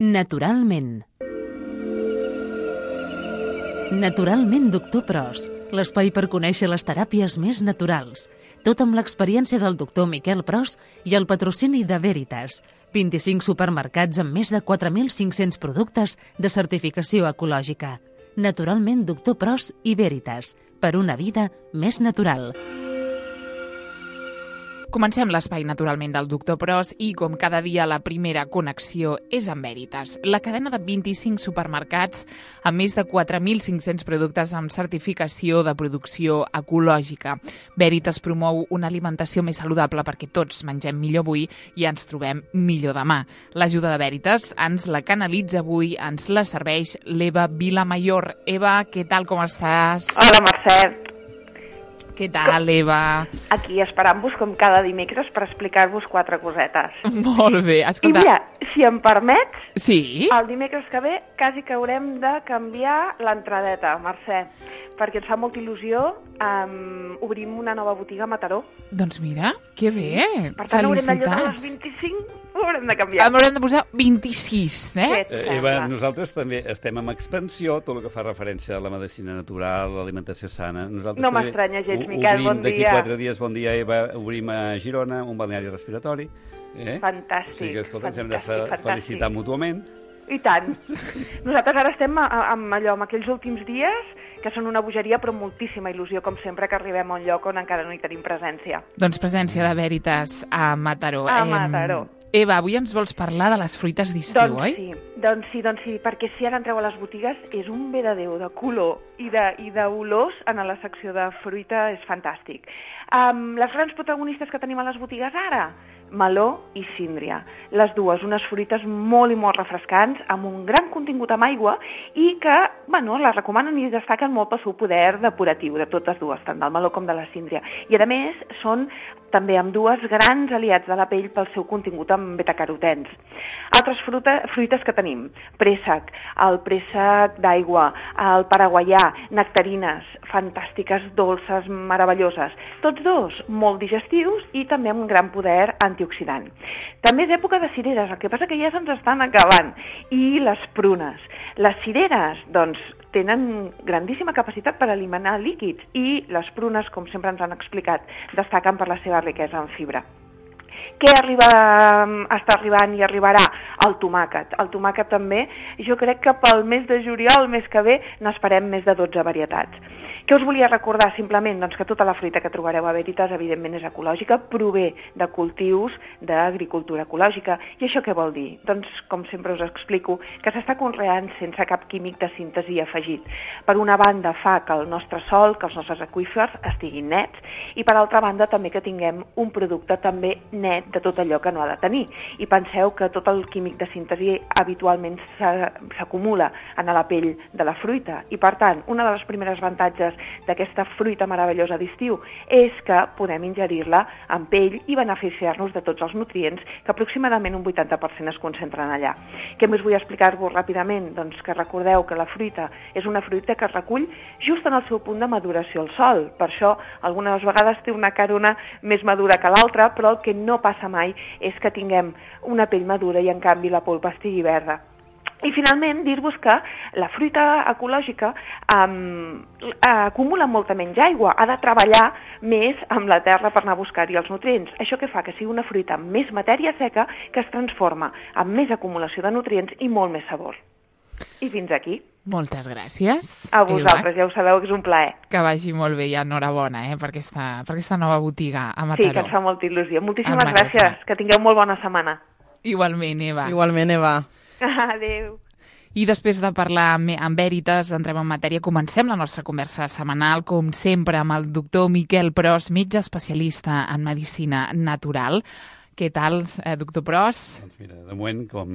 Naturalment. Naturalment, doctor Pros, l'espai per conèixer les teràpies més naturals. Tot amb l'experiència del doctor Miquel Pros i el patrocini de Veritas. 25 supermercats amb més de 4.500 productes de certificació ecològica. Naturalment, doctor Pros i Veritas, per una vida més natural. Comencem l'espai naturalment del doctor Pros i, com cada dia, la primera connexió és amb Veritas, la cadena de 25 supermercats amb més de 4.500 productes amb certificació de producció ecològica. Veritas promou una alimentació més saludable perquè tots mengem millor avui i ens trobem millor demà. L'ajuda de Veritas ens la canalitza avui, ens la serveix l'Eva Vilamayor. Eva, què tal, com estàs? Hola, Mercè. Què tal, Eva? Aquí esperant-vos com cada dimecres per explicar-vos 4 cosetes. Molt bé, escolta. I mira, si em permets, sí? El dimecres que ve quasi que haurem de canviar l'entradeta, Mercè, perquè ens fa molta il·lusió. Obrim una nova botiga a Mataró. Doncs mira, que bé. Per tant, haurem de llogar les 25, ho haurem de canviar. Haurem de posar 26, Eva, nosaltres també estem en expansió, tot el que fa referència a la medicina natural, l'alimentació sana. Nosaltres no m'estranya gens, Miquel, bon dia. D'aquí 4 dies, bon dia, Eva, obrim a Girona un balneari respiratori. Fantàstic. O sigui que, escolta, ens hem de felicitar mútuament. I tant. Nosaltres ara estem amb aquells últims dies que són una bogeria, però moltíssima il·lusió, com sempre, que arribem a un lloc on encara no hi tenim presència. Doncs presència de Veritas a Mataró. A Mataró. Eva, avui ens vols parlar de les fruites d'estiu, oi? Doncs sí, perquè si ara entreu a les botigues és un bé de Déu, de color i d'olors en la secció de fruita, és fantàstic. Les grans protagonistes que tenim a les botigues ara, meló i síndria. Les dues, unes fruites molt i molt refrescants, amb un gran contingut amb aigua i que, les recomanen i destaquen molt pel seu poder depuratiu, de totes dues, tant del meló com de la síndria. I a més, són també amb dues grans aliats de la pell pel seu contingut amb betacarotens. Altres fruites que tenim, préssec, el préssec d'aigua, el paraguaià, nectarines, fantàstiques, dolces, meravelloses. Tots dos molt digestius i també amb un gran poder antioxidant. També és època de cireres, el que passa que ja se'ns estan acabant. I les prunes. Les cireres, doncs, tenen grandíssima capacitat per eliminar líquids i les prunes, com sempre ens han explicat, destaquen per la seva riquesa en fibra. Què està arribant i arribarà? El tomàquet. El tomàquet també, jo crec que pel mes de juliol, el mes que ve, n'esperem més de 12 varietats. Què us volia recordar simplement? Doncs que tota la fruita que trobareu a Veritas, evidentment, és ecològica, prové de cultius d'agricultura ecològica. I això què vol dir? Doncs, com sempre us explico, que s'està conreant sense cap químic de síntesi afegit. Per una banda, fa que el nostre sòl, que els nostres aqüífers estiguin nets, i per altra banda també que tinguem un producte també net de tot allò que no ha de tenir. I penseu que tot el químic de síntesi habitualment s'acumula en la pell de la fruita. I per tant, una de les primeres avantatges d'aquesta fruita meravellosa d'estiu és que podem ingerir-la amb pell i beneficiar-nos de tots els nutrients que aproximadament un 80% es concentren allà. Què més vull explicar-vos ràpidament? Doncs que recordeu que la fruita és una fruita que es recull just en el seu punt de maduració al sol. Per això, algunes vegades té una carona més madura que l'altra, però el que no passa mai és que tinguem una pell madura i en canvi la polpa estigui verda. I finalment dir-vos que la fruita ecològica acumula molta menys aigua, ha de treballar més amb la terra per anar a buscar-hi els nutrients. Això que fa que sigui una fruita amb més matèria seca que es transforma amb més acumulació de nutrients i molt més sabor. I fins aquí. Moltes gràcies. A vosaltres, ja ho sabeu que és un plaer. Que vagi molt bé i enhorabona per aquesta nova botiga a Mataró. Sí, que ens fa molta il·lusió. Moltíssimes gràcies. Que tingueu molt bona setmana. Igualment, Eva. Igualment, Eva. Adéu. I després de parlar amb Veritas, entrem en matèria. Comencem la nostra conversa setmanal, com sempre, amb el doctor Miquel Pros, metge especialista en medicina natural. Què tal, doctor Pros? Doncs mira, de moment com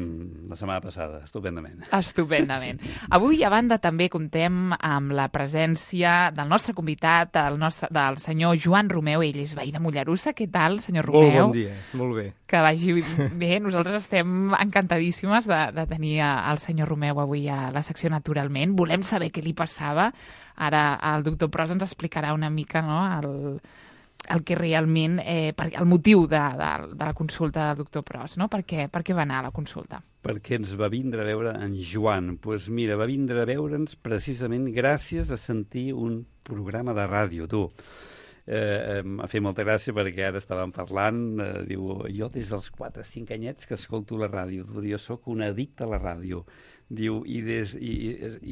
la setmana passada, estupendament. Estupendament. Avui, a banda, també comptem amb la presència del nostre convidat, del senyor Joan Romeu. Ell és veí de Mollerussa. Què tal, senyor Romeu? Molt bon dia, molt bé. Que vagi bé. Nosaltres estem encantadíssimes de tenir el senyor Romeu avui a la secció Naturalment. Volem saber què li passava. Ara el doctor Pros ens explicarà una mica, no?, el que realment, el motiu de la consulta del doctor Pros, no? Per què va anar a la consulta? Perquè ens va vindre a veure en Joan. Doncs mira, va vindre a veure'ns precisament gràcies a sentir un programa de ràdio, tu. M'ha fet molta gràcia perquè ara estàvem parlant, diu, jo des dels 4 o 5 anyets que escolto la ràdio, jo sóc un addicte a la ràdio. Diu, i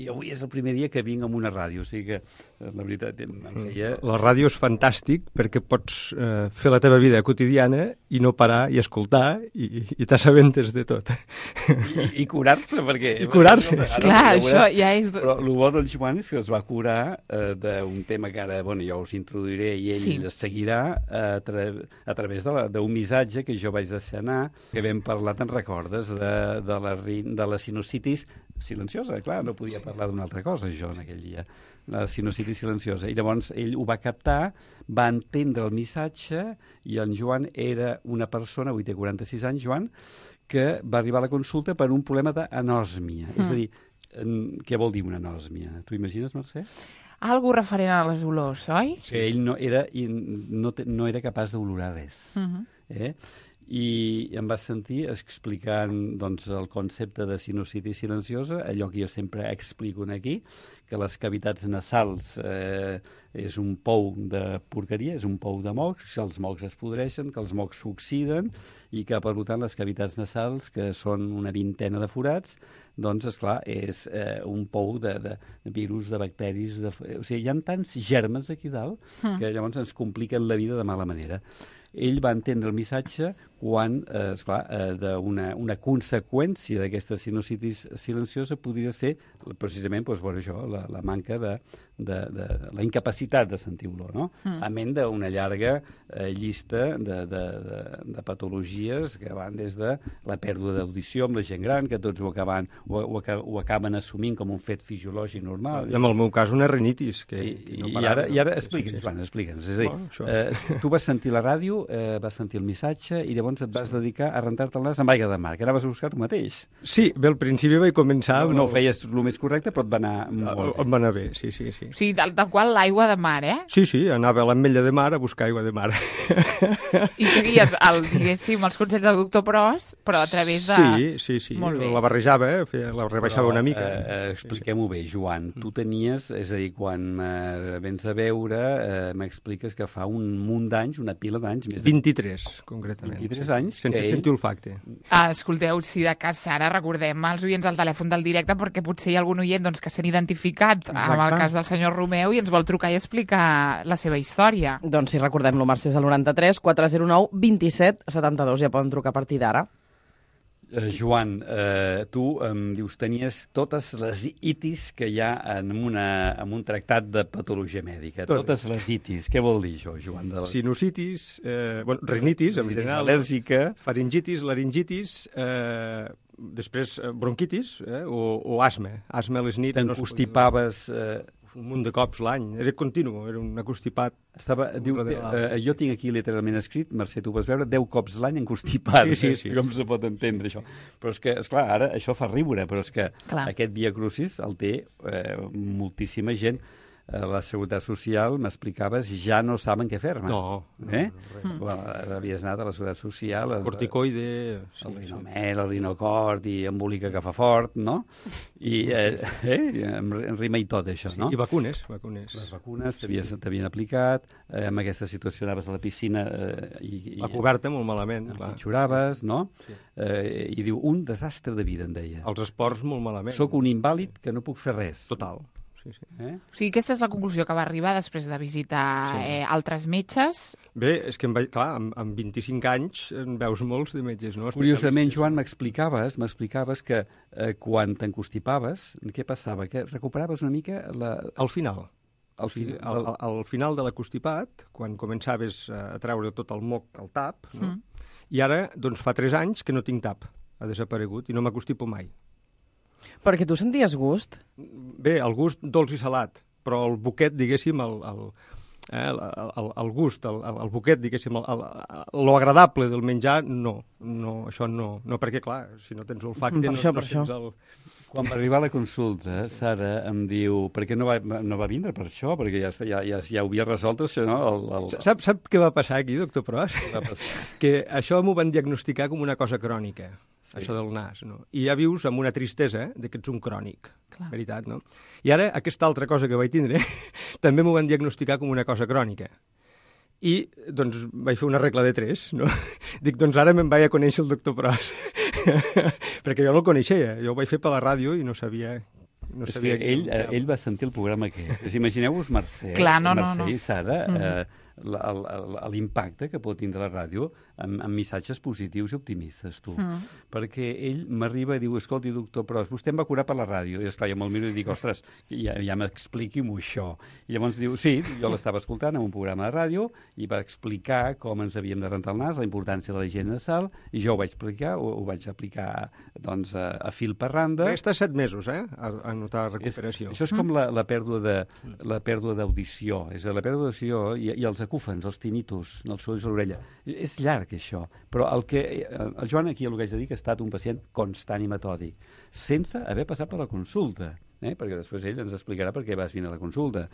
avui és el primer dia que vinc amb una ràdio, o sigui que la veritat em feia... La ràdio és fantàstic perquè pots fer la teva vida quotidiana i no parar i escoltar i t'assabentes de tot. I curar-se, perquè... I curar-se. Clar, això ja és... Però el bo del Joan és que es va curar d'un tema que ara, bueno, jo us introduiré i ell es seguirà a través d'un missatge que jo vaig deixar anar, que vam parlar, te'n recordes, de la sinusitis silenciosa, clar, no podia parlar d'una altra cosa jo en aquell dia, la sinusitis silenciosa, i llavors ell ho va captar, va entendre el missatge, i en Joan era una persona, avui té 46 anys, Joan, que va arribar a la consulta per un problema d'anòsmia, és a dir, què vol dir una anòsmia? Tu imagines, Mercè? Algo referent a les olors, oi? Que ell no era capaç d'olorar res. I em va sentir explicant doncs, el concepte de sinusitis silenciosa, allò que jo sempre explico aquí, que les cavitats nasals és un pou de porqueria, és un pou de mocs, que els mocs es podreixen, que els mocs s'oxiden i que, per tant, les cavitats nasals, que són una vintena de forats, doncs, esclar, és un pou de virus, de bacteris... O sigui, hi ha tants germes aquí dalt que llavors ens compliquen la vida de mala manera. Ell va entendre el missatge quan, esclar, una conseqüència d'aquesta sinusitis silenciosa podria ser precisament doncs, bueno, això, la manca de la incapacitat de sentir olor, no? A ment d'una llarga llista de patologies que van des de la pèrdua d'audició amb la gent gran, que tots ho acaben assumint com un fet fisiològic normal. I en el meu cas una rinitis. I ara explica'ns, Joan, explica'ns. És a dir, tu vas sentir la ràdio, vas sentir el missatge i llavors et vas dedicar a rentar-te el nas amb aigua de mar, que anaves a buscar tu mateix. Sí, bé, al principi vaig començar... No ho feies el més correcte, però et va anar molt bé. Em va anar bé, sí. O sigui, tal qual l'aigua de mar, eh? Sí, anava a l'ametlla de mar a buscar aigua de mar. I seguies, diguéssim, els consells del doctor Pros, però a través de... Sí. Molt bé. La barrejava, la rebaixava una mica. Expliquem-ho bé, Joan. Tu tenies, és a dir, quan vens a veure, m'expliques que fa un munt d'anys, una pila d'anys... 23, concretament. 23 anys. Sense sentir olfacte. Escolteu, si de cas ara recordem als oients al telèfon del directe perquè potser hi ha algun oient doncs, que s'ha identificat amb el cas del senyor Romeu i ens vol trucar i explicar la seva història. Doncs sí, recordem-lo, Mercè, és el 93 409 27 72. Ja poden trucar a partir d'ara. Joan, tu em dius, tenies totes les itis que hi ha en un tractat de patologia mèdica. Totes les itis. Què vol dir això, Joan? Sinusitis, rinitis, en general, al·lèrgica, faringitis, laringitis, després bronquitis o asma. Asma a les nits. T'encostipaves... Un munt de cops l'any. Era continu, era un acostipat. Jo tinc aquí literalment escrit, Mercè, tu vas veure, 10 cops l'any encostipat. Sí. Com se pot entendre això? Però és que, esclar, ara això fa riure, però és que aquest Via Crucis el té moltíssima gent. La Seguretat Social, m'explicaves, ja no saben què fer-me. No. Havies anat a la Seguretat Social... Corticoide... El rinomel, el rinocort i embolica que fa fort, no? I em rima i tot, això, no? I vacunes. Les vacunes t'havien aplicat, amb aquesta situació anaves a la piscina... La coberta molt malament. Empitjoraves, no? I diu, un desastre de vida, em deia. Els esports molt malament. Soc un invàlid que no puc fer res. Total. O sigui, aquesta és la conclusió que va arribar després de visitar altres metges. Bé, és que, clar, amb 25 anys en veus molts de metges, no? Curiosament, Joan, m'explicaves que quan t'encostipaves, què passava? Que recuperaves una mica Al final. Al final de l'acostipat, quan començaves a treure tot el moc al tap, no? I ara, doncs, fa 3 anys que no tinc tap. Ha desaparegut i no m'acostipo mai. Perquè tu senties gust? Bé, el gust dolç i salat, però el boquet, diguéssim, el gust, el boquet, diguéssim, lo agradable del menjar, no, això no, perquè, clar, si no tens olfacte, no sents el... Quan va arribar a la consulta, Sara em diu, per què no va vindre per això? Perquè ja ho havia resolt això, no? Sap què va passar aquí, doctor Pros? Va passar. Que això m'ho van diagnosticar com una cosa crònica, això del nas, no? I ja vius amb una tristesa de que ets un crònic, veritat, no? I ara, aquesta altra cosa que vaig tindre, també m'ho van diagnosticar com una cosa crònica. I, doncs, vaig fer una regla de 3, no? Dic, doncs ara me'n vaig a conèixer el doctor Pros. Perquè jo no el coneixia, jo ho vaig fer per la ràdio i no sabia... És que ell va sentir el programa aquest. Imagineu-vos Mercè i Sara, l'impacte que pot tindre la ràdio amb missatges positius i optimistes, tu. Perquè ell m'arriba i diu, escolti, doctor Pros, vostè em va curar per la ràdio. I esclar, jo me'l miro i dic, ostres, ja m'expliqui-m'ho això. I llavors diu, sí, jo l'estava escoltant en un programa de ràdio i va explicar com ens havíem de rentar el nas, la importància de la higiene nasal, i jo ho vaig explicar, ho vaig aplicar doncs, a fil per randa. Va estar 7 mesos, a notar la recuperació. Això és com la pèrdua d'audició. És la pèrdua d'audició i els acúfens, els tinnitus, els sorolls a l'orella. És llarg, això. Però el Joan aquí el que haig de dir que ha estat un pacient constant i metòdic, sense haver passat per la consulta, perquè després ell ens explicarà per què vas venir a la consulta.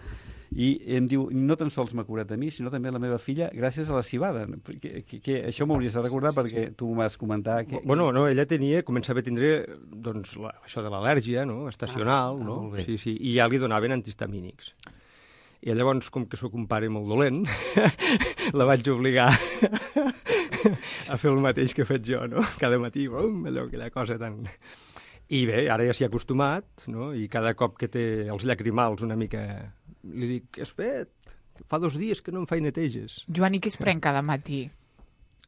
I em diu, no tan sols m'ha curat a mi, sinó també a la meva filla, gràcies a la cibada. Això m'hauries de recordar perquè tu m'has comentat... Bueno, no, ella començava a tindre doncs, això de l'al·lèrgia, no? Estacional, no? Sí, i ja li donaven antihistamínics. I llavors, com que sóc un pare molt dolent, la vaig obligar a fer el mateix que he fet jo, no? Cada matí, aquella cosa tan... I bé, ara ja s'hi ha acostumat, no? I cada cop que té els llacrimals una mica... Li dic, què has fet? Fa 2 dies que no em faig neteges. Joan, i què es pren cada matí?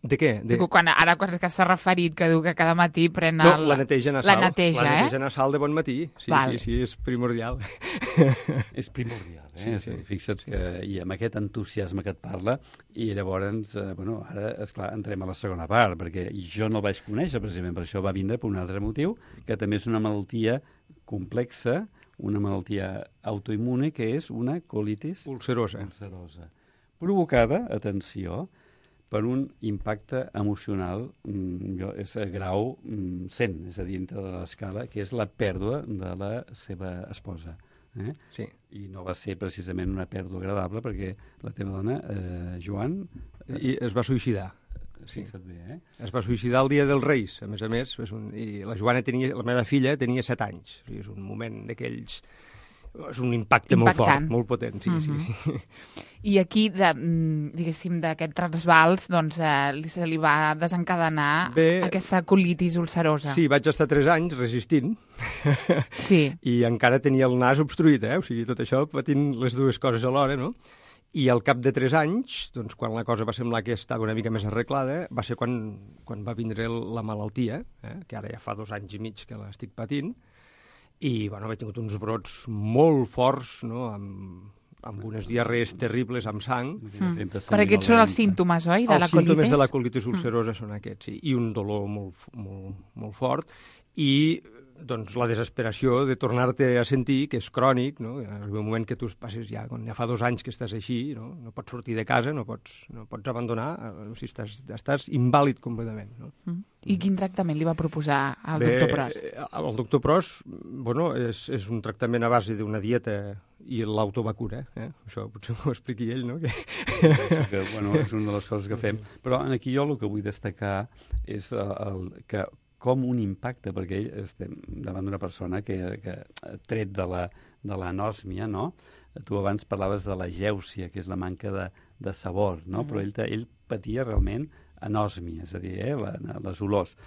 De què? Quan s'ha referit que diu que cada matí pren la neteja nasal. La neteja nasal de bon matí. Sí, és primordial. És primordial, Sí. Fixa't que i amb aquest entusiasme que et parla, i llavors, ara, esclar, entrem a la segona part, perquè jo no el vaig conèixer, precisament per això va vindre per un altre motiu, que també és una malaltia complexa, una malaltia autoimmune, que és una colitis ulcerosa. Provocada, atenció, per un impacte emocional és grau 100, és a dir, dintre de l'escala, que és la pèrdua de la seva esposa. Sí. I no va ser precisament una pèrdua agradable perquè la teva dona, Joan... I es va suïcidar. Sí. Es va suïcidar el dia dels Reis, a més, i la Joana la meva filla, tenia 7 anys. O sigui, és un moment d'aquells... És un impacte molt fort, molt potent, sí. I aquí, diguéssim, d'aquest trasbals, doncs, se li va desencadenar aquesta colitis ulcerosa. Sí, vaig estar 3 anys resistint. Sí. I encara tenia el nas obstruït, O sigui, tot això patint les dues coses alhora, no? I al cap de 3 anys, doncs, quan la cosa va semblar que estava una mica més arreglada, va ser quan va vindre la malaltia, que ara ja fa 2 anys i mig que l'estic patint, i he tingut uns brots molt forts, no?, amb unes diarrees terribles, amb sang. Però aquests són els símptomes, oi, de la colitis? Els símptomes de la colitis ulcerosa són aquests, sí. I un dolor molt fort. I doncs, la desesperació de tornar-te a sentir, que és crònic, no? Arriba un moment que tu passes ja, quan ja fa 2 anys que estàs així, no pots sortir de casa, no pots abandonar, o sigui, estàs invàlid completament. No? I quin tractament li va proposar el doctor Pros? El doctor Pros, és un tractament a base d'una dieta i l'autovacura, Això potser ho expliqui ell, no? És una de les coses que fem. Però aquí jo el que vull destacar és que com un impacte, perquè estem davant d'una persona que tret de l'anòsmia, no? Tu abans parlaves de la gèusia, que és la manca de sabor, no? Però ell patia realment anòsmia, és a dir, les olors.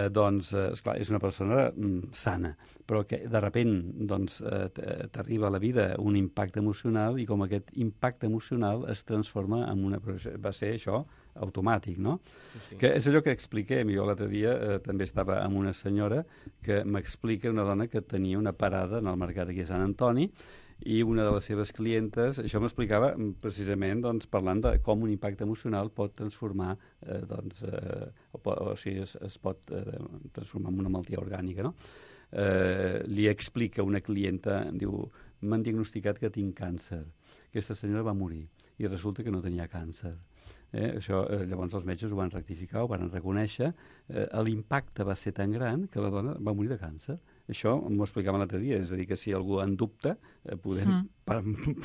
Doncs, esclar, és una persona sana, però que de sobte t'arriba a la vida un impacte emocional i com aquest impacte emocional es transforma en una... Va ser això automàtic, no? Sí. Que és allò que expliquem. Jo l'altre dia també estava amb una senyora que m'explica, una dona que tenia una parada en el mercat aquí a Sant Antoni, i una de les seves clientes, això m'explicava precisament parlant de com un impacte emocional pot transformar, o sigui, es pot transformar en una malaltia orgànica, no? Li explica una clienta, diu, m'han diagnosticat que tinc càncer. Aquesta senyora va morir i resulta que no tenia càncer. Això, llavors els metges ho van rectificar, ho van reconèixer. L'impacte va ser tan gran que la dona va morir de càncer. Això m'ho explicava l'altre dia, és a dir, que si algú en dubte,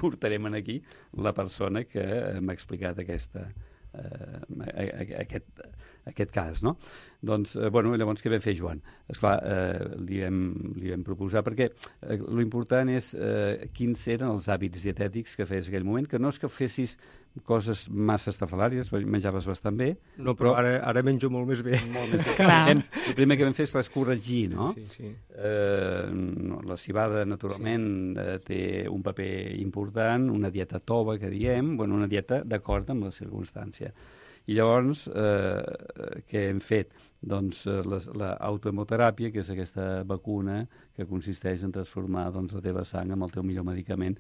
portarem aquí la persona que m'ha explicat aquest cas, no? Doncs, llavors què vam fer, Joan? Esclar, li vam proposar, perquè l'important és quins eren els hàbits dietètics que feies en aquell moment, que no és que fessis coses massa estrafalàries, menjaves bastant bé. No, però ara menjo molt més bé. Molt més bé. El primer que vam fer és corregir, no? Sí. La civada, naturalment, té un paper important, una dieta tova, que diem, una dieta d'acord amb la circumstància. I llavors, què hem fet? Doncs l'autohemoteràpia, que és aquesta vacuna que consisteix en transformar la teva sang amb el teu millor medicament,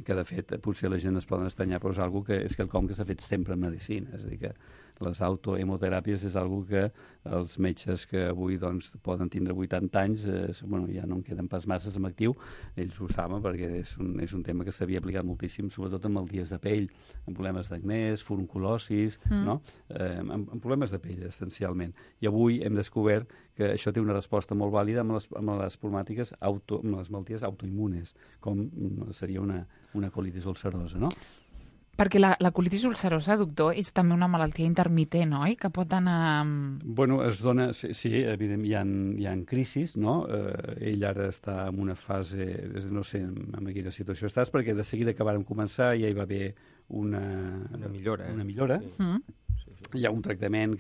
que de fet potser la gent es poden estranyar, però és algo que és quelcom que s'ha fet sempre en medicina, és a dir que les autohemoteràpies és algo que els metges que avui poden tindre 80 anys, ja no en queden pas masses en actiu, ells ho saben perquè és un tema que s'havia aplicat moltíssim, sobretot en malalties de pell, en problemes d'acnès, furunculosis, no? En problemes de pell, essencialment. I avui hem descobert que això té una resposta molt vàlida amb les problemàtiques, amb les malalties autoimmunes, com seria una colitis ulcerosa, no? Perquè la colitis ulcerosa, doctor, és també una malaltia intermitent, oi? Que pot anar... Es dona... Sí, evidentment, hi ha crisis, no? Ell ara està en una fase... No sé en quina situació estàs, perquè de seguida que vàrem començar ja hi va haver una millora. Una millora. Sí. Hi ha un tractament,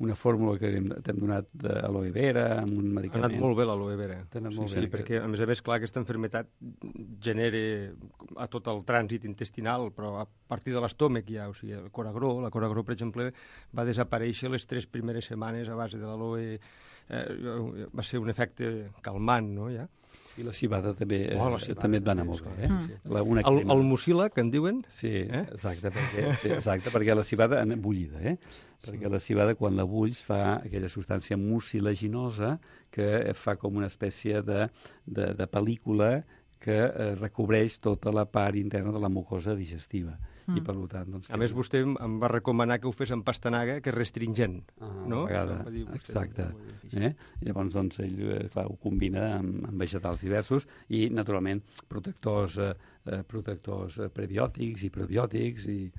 una fórmula que t'hem donat d'aloe vera, amb un medicament... Ha anat molt bé l'aloe vera. Sí, perquè a més, clar, aquesta malaltia genera a tot el trànsit intestinal, però a partir de l'estómac ja, o sigui, la coragró, per exemple, va desaparèixer les 3 primeres setmanes a base de l'aloe. Va ser un efecte calmant, no, ja? I la civada també et va anar molt bé. El mucílac, que en diuen? Sí, exacte, perquè la civada bullida, perquè la civada, quan la bulls, fa aquella substància mucilaginosa que fa com una espècie de pel·lícula que recobreix tota la part interna de la mucosa digestiva. I per tant, a més, vostè em va recomanar que ho fes amb pastanaga, que és restringent, no? A vegades, exacte. Llavors, ell ho combina amb vegetals diversos i, naturalment, protectors prebiòtics i probiòtics i,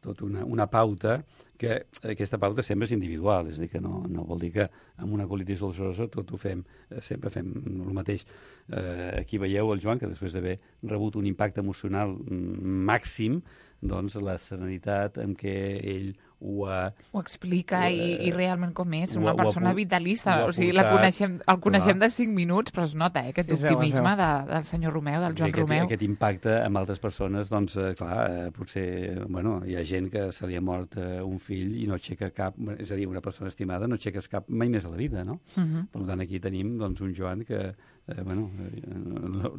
tota una pauta, que aquesta pauta sempre és individual, és a dir, que no vol dir que amb una colitis ulcerosa tot ho fem, sempre fem el mateix. Aquí veieu el Joan, que després d'haver rebut un impacte emocional màxim, doncs la serenitat amb què ell ho explica i realment com és, una persona vitalista, o sigui, el coneixem de 5 minuts, però es nota aquest optimisme del senyor Romeu, del Joan Romeu. Aquest impacte amb altres persones, doncs, clar, potser, hi ha gent que se li ha mort un fill i no aixeca cap, és a dir, una persona estimada no aixeques cap mai més a la vida, no? Per tant, aquí tenim, doncs, un Joan que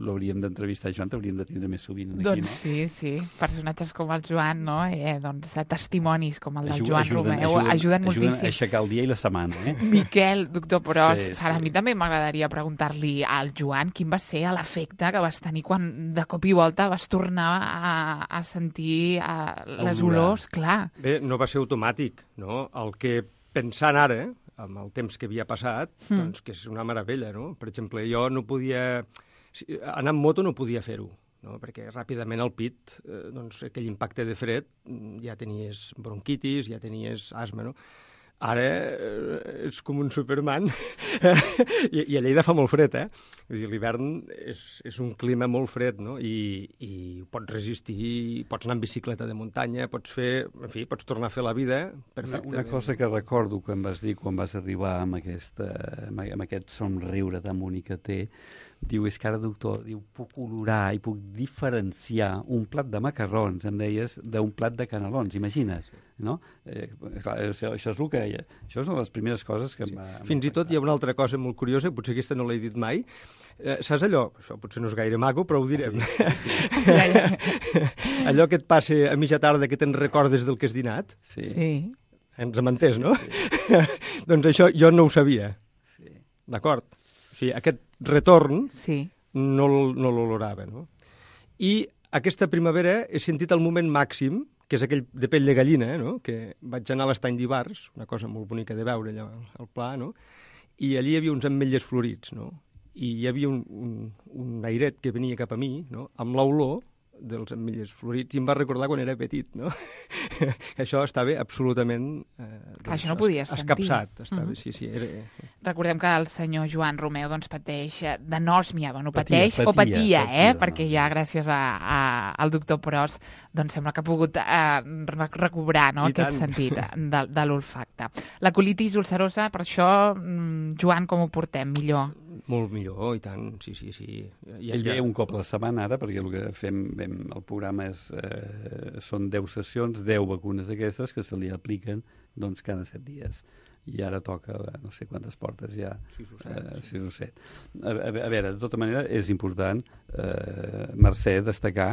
l'hauríem d'entrevistar, Joan, t'hauríem de tindre més sovint aquí, doncs sí, personatges com el Joan, no? Doncs testimonis com el del Joan Romeu ajuden moltíssim. Ajuden a aixecar el dia i la setmana, Miquel, doctor Pros, a mi també m'agradaria preguntar-li al Joan quin va ser l'efecte que vas tenir quan de cop i volta vas tornar a sentir les olors, clar. Bé, no va ser automàtic, no? El que pensant ara, amb el temps que havia passat, doncs que és una meravella, no? Per exemple, jo no podia... Anar amb moto no podia fer-ho, no? Perquè ràpidament al pit, doncs, aquell impacte de fred, ja tenies bronquitis, ja tenies asma, no? Ara és com un Superman i a Lleida fa molt fred, Vull dir, l'hivern és un clima molt fred, no? I pots resistir, pots anar en bicicleta de muntanya, pots tornar a fer la vida perfectament. Una cosa que recordo que em vas dir quan vas arribar amb aquest somriure demoni que té, diu, és que ara, doctor, puc olorar i puc diferenciar un plat de macarrons, em deies, d'un plat de canelons, imagina't, no? Clar, això és el que... Això és una de les primeres coses que em va... Fins i tot hi ha una altra cosa molt curiosa, potser aquesta no l'he dit mai. Saps allò? Això potser no és gaire maco, però ho direm. Allò que et passa a mitja tarda que te'n recordes del que has dinat? Sí. Ens hem entès, no? Doncs això jo no ho sabia. D'acord? O sigui, aquest retorn no l'olorava, no? I aquesta primavera he sentit el moment màxim que és aquell de pell de gallina, no? Que vaig anar a l'estany d'Ivars, una cosa molt bonica de veure allà al pla, no? I allí hi havia uns ametlles florits, no? I hi havia un airet que venia cap a mi, no? Amb l'olor dels ametlles florits, i em va recordar quan era petit, no? Això estava absolutament això no podies sentir. Escapçat. Estava, sí. Recordem que el senyor Joan Romeu doncs, pateix d'anòsmia, patia, perquè ja gràcies al doctor Pros doncs sembla que ha pogut recobrar, no, aquest sentit de l'olfacte. La colitis ulcerosa, per això, Joan, com ho portem? Millor? Molt millor, i tant, sí. Ell ve un cop a la setmana ara, perquè el que fem el programa són 10 sessions, 10 vacunes d'aquestes que se li apliquen doncs, cada 7 dies. I ara toca, no sé quantes portes ja. 6 o 7. A veure, de tota manera, és important, Mercè, destacar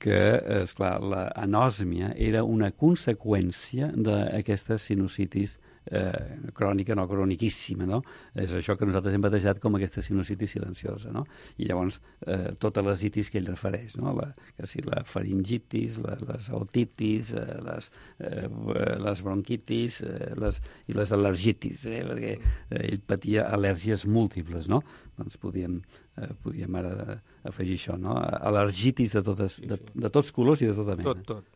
que, esclar, l'anòsmia era una conseqüència d'aquesta sinusitis crònica, no croniquíssima, no? És això que nosaltres hem batejat com aquesta sinusitis silenciosa, no? I llavors totes les itis que ell refereix, no? La faringitis, les otitis, les bronquitis i les al·lergitis, perquè ell patia al·lèrgies múltiples, no? Doncs podíem ara afegir això, no? Al·lergitis de tots colors i de tota mena. Tot.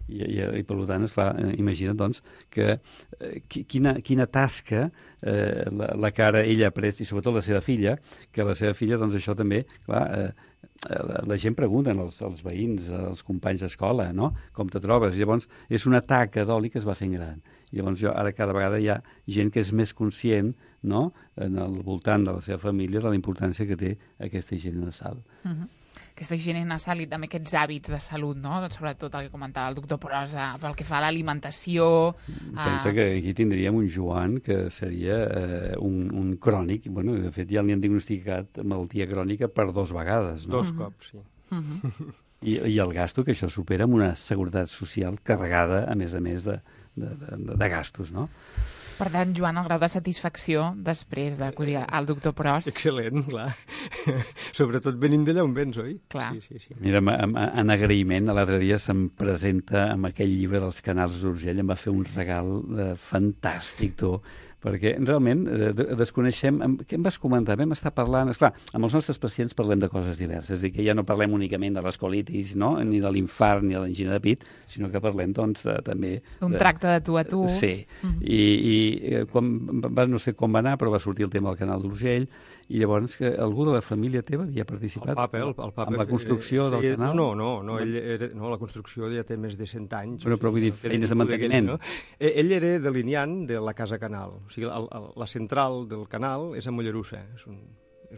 I per tant, esclar, imagina't doncs que quina tasca la que ara ella ha pres, i sobretot la seva filla, que la seva filla, doncs això també, clar, la gent pregunta als veïns, als companys d'escola, no? Com te trobes? Llavors, és una taca d'oli que es va fent gran. Llavors, ara cada vegada hi ha gent que és més conscient, no?, en el voltant de la seva família, de la importància que té aquesta higiene nasal. Aquesta higiene nasal i també aquests hàbits de salut, no? Sobretot el que comentava el doctor Prosa, pel que fa a l'alimentació... Pensa que aquí tindríem un Joan que seria un crònic. Bueno, de fet, ja li han diagnosticat malaltia crònica per 2 vegades, no? 2 cops, sí. I el gasto, que això supera amb una seguretat social carregada, a més de gastos, no? Per tant, Joan, el grau de satisfacció després d'acudir al doctor Pros... Excel·lent, clar. Sobretot venint d'allà on vens, oi? Clar. Sí. Mira, en agraïment, l'altre dia se'm presenta amb aquell llibre dels Canals d'Urgell, em va fer un regal fantàstic, tu, perquè realment desconeixem... Què em vas comentar? Vam estar parlant... Esclar, amb els nostres pacients parlem de coses diverses, és a dir, que ja no parlem únicament de les colitis, no?, ni de l'infart, ni de l'angina de pit, sinó que parlem, doncs, també... Un tracte de tu a tu. Sí, i quan no sé com va anar, però va sortir el tema del Canal d'Urgell, i llavors que algú de la família teva havia participat el papa, en la construcció del canal? No, la construcció ja té més de 100 anys. Però vull dir, feines de manteniment. No? Ell era delineant de la Casa Canal. O sigui, la central del canal és a Mollerussa. És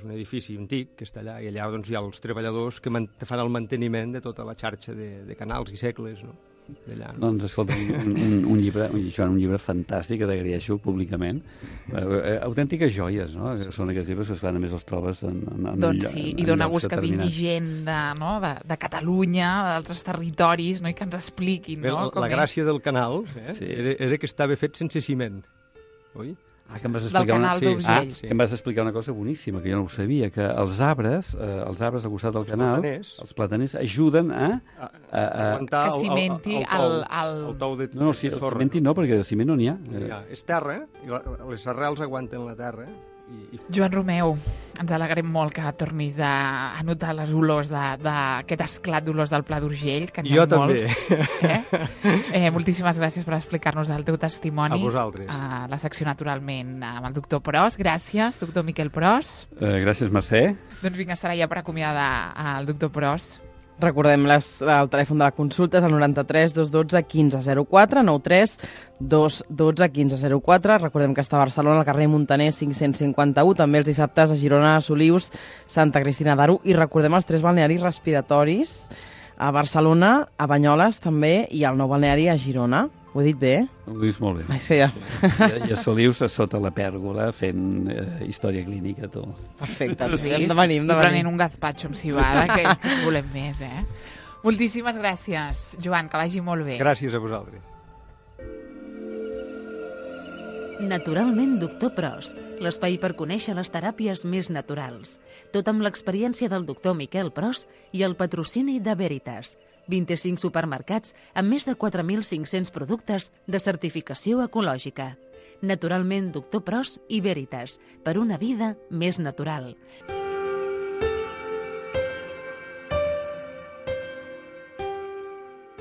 un edifici antic que està allà, i allà doncs, hi ha els treballadors que fan el manteniment de tota la xarxa de canals i segles, no? D'allà, no? Doncs escolta, un llibre fantàstic que t'agraeixo públicament. Autèntiques joies, no? Són aquests llibres que, esclar, només els trobes en doncs sí, i dona gust que vingui gent de Catalunya, d'altres territoris, no? I que ens expliquin, no? La gràcia del canal era que estava fet sense ciment, oi? Que em vas explicar que em vas explicar una cosa boníssima, que jo no ho sabia, que els arbres al costat del canal, els plataners, ajuden a que cimenti el tou de no, cimenti no, perquè de ciment no n'hi ha. És terra, i les arrels aguanten la terra. Joan Romeu, ens alegrem molt que tornis a notar les olors d'aquest esclat d'olors del Pla d'Urgell, que n'hi ha molts. També. Moltíssimes gràcies per explicar-nos el teu testimoni. A vosaltres. A la secció, naturalment, amb el doctor Pros. Gràcies, doctor Miquel Pros. Gràcies, Mercè. Doncs vinga, serà ja per acomiadar el doctor Pros. Recordem el telèfon de la consulta és el 93 212 1504, 93 212 1504. Recordem que està a Barcelona, al carrer Muntaner 551, també els dissabtes a Girona, Solius, Santa Cristina d'Aro, i recordem els 3 balnearis respiratoris a Barcelona, a Banyoles també, i al nou balneari a Girona. Ho he dit bé? Ho dius molt bé. Sí, ja. I a Solius a sota la pèrgola fent història clínica, tu. Perfecte. Sí, hem de venir. I prenent un gazpacho amb cibada, que volem més, Moltíssimes gràcies, Joan, que vagi molt bé. Gràcies a vosaltres. Naturalment, doctor Pros, l'espai per conèixer les teràpies més naturals. Tot amb l'experiència del doctor Miquel Pros i el patrocini de Veritas, 25 supermercats amb més de 4.500 productes de certificació ecològica. Naturalment, Doctor Pros i Veritas, per una vida més natural.